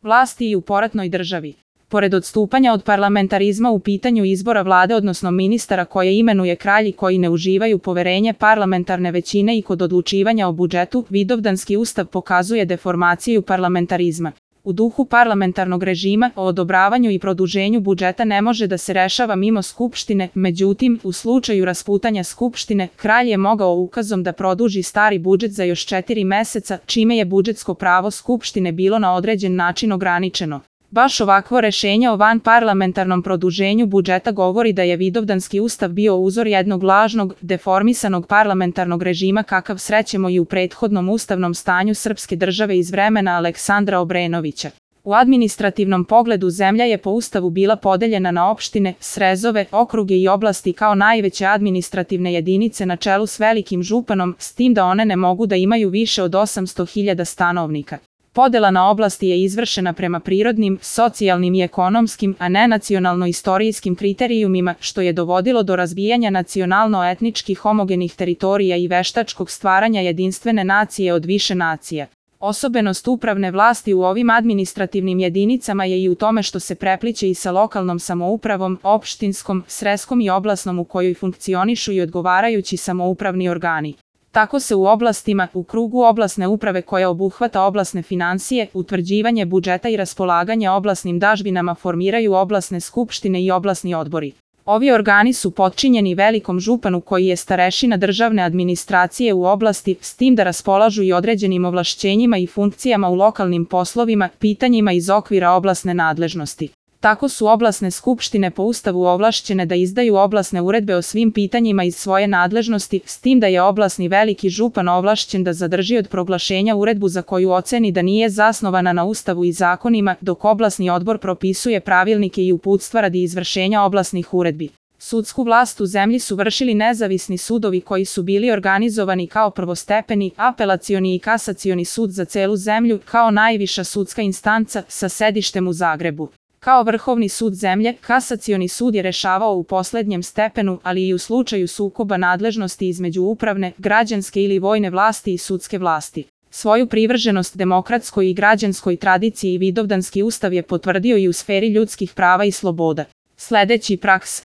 vlasti i u poratnoj državi. Pored odstupanja od parlamentarizma u pitanju izbora vlade odnosno ministara koje imenuje kralj i koji ne uživaju poverenje parlamentarne većine i kod odlučivanja o budžetu, Vidovdanski ustav pokazuje deformaciju parlamentarizma. U duhu parlamentarnog režima o odobravanju i produženju budžeta ne može da se rešava mimo Skupštine, međutim, u slučaju rasputanja Skupštine, kralj je mogao ukazom da produži stari budžet za još 4 meseca, čime je budžetsko pravo Skupštine bilo na određen način ograničeno. Baš ovakvo rešenje o vanparlamentarnom produženju budžeta govori da je Vidovdanski ustav bio uzor jednog lažnog, deformisanog parlamentarnog režima kakav srećemo i u prethodnom ustavnom stanju srpske države iz vremena Aleksandra Obrenovića. U administrativnom pogledu zemlja je po ustavu bila podeljena na opštine, srezove, okruge i oblasti kao najveće administrativne jedinice na čelu s velikim županom, s tim da one ne mogu da imaju više od 800.000 stanovnika. Podela na oblasti je izvršena prema prirodnim, socijalnim i ekonomskim, a ne nacionalno-istorijskim kriterijumima, što je dovodilo do razbijanja nacionalno-etnički homogenih teritorija i veštačkog stvaranja jedinstvene nacije od više nacija. Osobenost upravne vlasti u ovim administrativnim jedinicama je i u tome što se prepliće i sa lokalnom samoupravom, opštinskom, sreskom i oblasnom u kojoj funkcionišu i odgovarajući samoupravni organi. Tako se u oblastima, u krugu oblasne uprave koja obuhvata oblasne finansije, utvrđivanje budžeta i raspolaganje oblasnim dažbinama formiraju oblasne skupštine i oblasni odbori. Ovi organi su potčinjeni velikom županu koji je starešina državne administracije u oblasti, s tim da raspolažu i određenim ovlašćenjima i funkcijama u lokalnim poslovima, pitanjima iz okvira oblasne nadležnosti. Tako su oblasne skupštine po ustavu ovlašćene da izdaju oblasne uredbe o svim pitanjima iz svoje nadležnosti, s tim da je oblasni veliki župan ovlašćen da zadrži od proglašenja uredbu za koju oceni da nije zasnovana na ustavu i zakonima, dok oblasni odbor propisuje pravilnike i uputstva radi izvršenja oblasnih uredbi. Sudsku vlast u zemlji su vršili nezavisni sudovi koji su bili organizovani kao prvostepeni, apelacioni i kasacioni sud za celu zemlju, kao najviša sudska instanca sa sedištem u Zagrebu. Kao vrhovni sud zemlje, kasacioni sud je rešavao u poslednjem stepenu, ali i u slučaju sukoba nadležnosti između upravne, građanske ili vojne vlasti i sudske vlasti. Svoju privrženost demokratskoj i građanskoj tradiciji Vidovdanski ustav je potvrdio i u sferi ljudskih prava i sloboda. Sledeći praks.